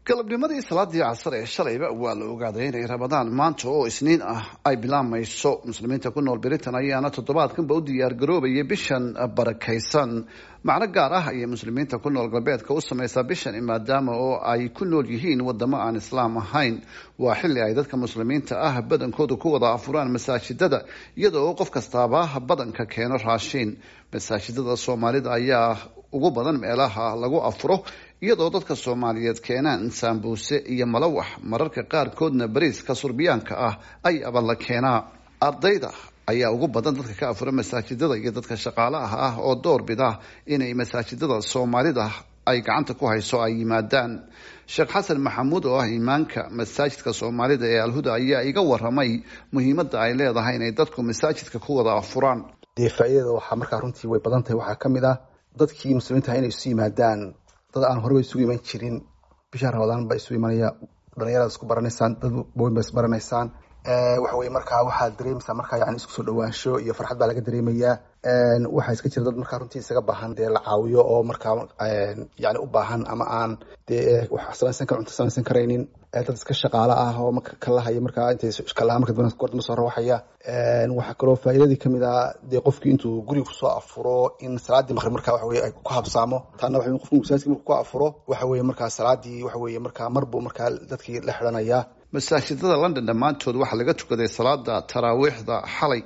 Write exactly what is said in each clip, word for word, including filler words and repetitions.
Galabnimadii salaadii casar ee shalayba waa la ogaaday inay Ramadaan maanta oo Isniin ah ay bilaabmayso. Muslimiinta ku nool Britain ayaana toddobaadkanba u diyaargaroobayay bishan barakaysan. Macno gaar ah ayay muslimiinta ku nool galbeedka u sameysaa bishan, maadaama oo ay ku nool yihiin wadamo aan Islaam ahayn. Waa xilli ay dadka muslimiinta ah badankoodu ku wada afuraan masaajidada, iyadoo oo qof kastaaba badanka keeno raashiin. Masaajidada Soomaalida ayaa ugu badan meelaha lagu afuro, iyadoo dadka Soomaaliyeed keenaan saambuuse iyo malawax, mararka qaarkoodna bariiska surbiyaanka ah ay aba la keenaa. Ardayda ayaa ugu badan dadka ka afura masaajidada iyo dadka shaqaalaha ah oo door bida inay masaajidada Soomaalida ay gacanta ku hayso ay yimaadaan. Sheekh Xasan Maxamuud oo ah imaanka masaajidka Soomaalida ee Alhuda ayaa iga waramay muhiimadda ay leedahay inay dadku masaajidka ku wada afuraan. Dee faa'iidada waxaa markaa runtii way badan tahay. Waxaa ka mid ah dadkii muslimiinta inay isu yimaadaan, dad aan horeba isugu iman jirin bisha Ramadaan baa isu imanaya. Dhalinyarada isku baranaysaan, dad waaweyn baa isbaranaysaan. Waxa weye markaa waxaad dareemaysaa markaa yani isku soo dhawaansho iyo farxad baa laga dareemayaa. Waxaa iska jira dad markaa runtii isaga baahan dee la caawiyo oo markaa yani u baahan ama aan dee wax samaysan kar, cunto samaysan karaynin, dad iska shaqaalo ah oo marka kalahaya, markaa intay kalaha marka dambena goor soo rawaxaya. Waxaa kaloo faa'iidadii kamid ah dee qofkii intuu guriga kusoo afuro in salaadii maqrib markaa waxa weye ay ku habsaamo. Taana waxa qofku masaajidka markuu ku afuro, waxa weye markaa salaadii waxa weye markaa mar buu markaa dadkii la xidhanaya. Masaajidada London dhammaantood waxaa laga tukaday salaada taraawiixda xalay.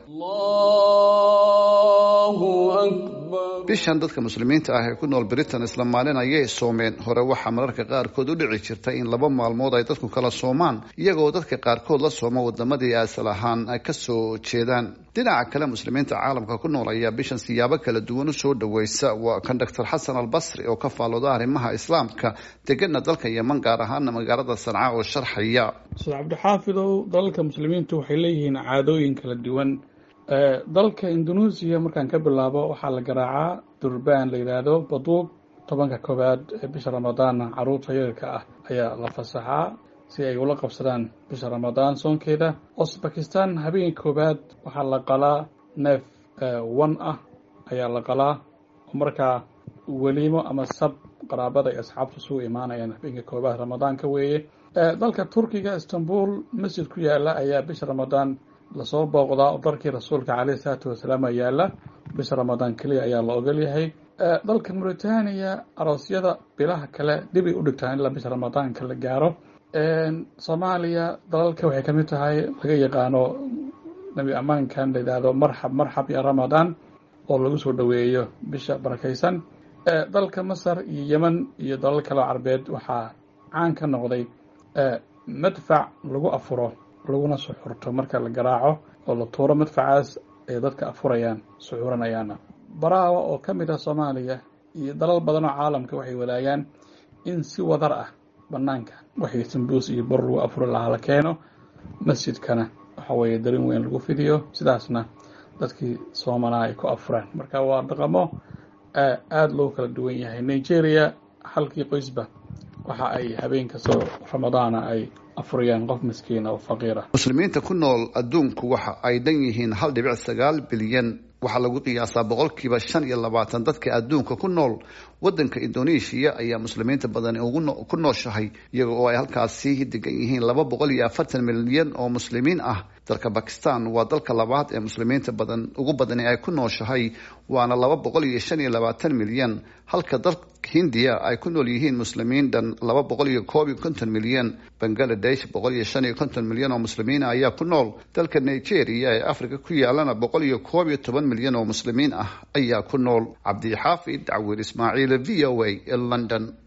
Bishan dadka muslimiinta ah ee ku nool Britain isla maalin ayay soomeen. Hore waxaa mararka qaarkood u dhici jirtay in laba maalmood ay dadku kala soomaan, iyagoo dadka qaarkood la sooma wadamadii asal ahaan kasoo jeedaan. Dhinaca kale, muslimiinta caalamka ku nool ayaa bishan siyaabo kala duwan usoo dhaweysa. Waa kan Doctor Xasan Albasri oo ka faallooda arrimaha Islaamka, degana dalka Yeman, gaar ahaana magaalada Sanca, oo sharxaya. Ustaad Cabdixaafidow, dalalka muslimiintu waxay leeyihiin caadooyin kala duwan. Dalka Indonesia markaan ka bilaabo, waxaa la garaacaa durbaan la yidhaahdo baduub tobanka koowaad ee bisha Ramadaanna. Caruurta yararka ah ayaa la fasaxaa si ay ula qabsadaan bisha Ramadaan soonkeeda. Uzbekistan habeenka koowaad waxaa la qalaa neef wan ah ayaa la qalaa, oo markaa weliimo ama sab qaraabada iyo asxaabtu isugu imaanayaan habeenka koowaad Ramadaanka weeye. Dalka Turkiga, Istanbul masjid ku yaala ayaa bisha Ramadaan lasoo booqdaa oo dharkii rasuulka caleyhi salaatu wasalaam yaala. Bisha Ramadaan keliya ayaa la ogol yahay. Dalka Mauritania aroosyada bilaha kale dibay u dhigtaan ilaa bisha Ramadaanka la gaaro. Soomaaliya dalalka waxay kamid tahay laga yaqaano nabi ammaankan la yidhaahdo "Marxab marxab ya Ramadaan", oo lagu soo dhoweeyo bisha barakaysan. Dalka Masar iyo Yemen iyo dalal kaleo Carbeed waxaa caan ka noqday madfac lagu afuro laguna suxurto. Marka la garaaco oo la tuuro madfacaas ay dadka afurayaan suxuranayaana. Baraawa oo ka mid ah Soomaaliya iyo dalal badan oo caalamka waxay wadaagaan in si wadar ah banaanka waxay sambuus iyo bor lagu afuri lahaa la keeno, masjidkana waxa weeye darin weyn lagu fidiyo, sidaasna dadkii soomanaa ay ku afuraan. Marka waa dhaqamo aada loo kala duwan yahay. Nigeria halkii qoysba waxa ay habeen kastoo Ramadaana ay afurayaan qof miskiina oo faqiir ah. Muslimiinta ku nool adduunku waxa ay dhan yihiin hal dhibic sagaal bilyan. Waxaa lagu qiyaasaa boqolkiiba shan iyo labaatan dadka adduunka ku nool. Wadanka Indonesia ayaa muslimiinta badani ugu ku nooshahay, iyaga oo ay halkaasi degan yihiin laba boqol iyo afartan milyan oo muslimiin ah. Dalka Bakistan waa dalka labaad ee muslimiinta badan ugu badani ay ku nooshahay, waana laba boqol iyo shan iyo labaatan milyan, halka dalka Hindiya ay ku nool yihiin muslimiin dhan laba boqol iyo koob iyo konton milyan. Bangladesh boqol iyo shan iyo konton milyan oo muslimiin ayaa ku nool. Dalka Nigeria ee Africa ku yaalana boqol iyo koob iyo toban milyan oo muslimiin ah ayaa ku nool. Cabdixaafid Cawir Ismaaciil, V O A, London.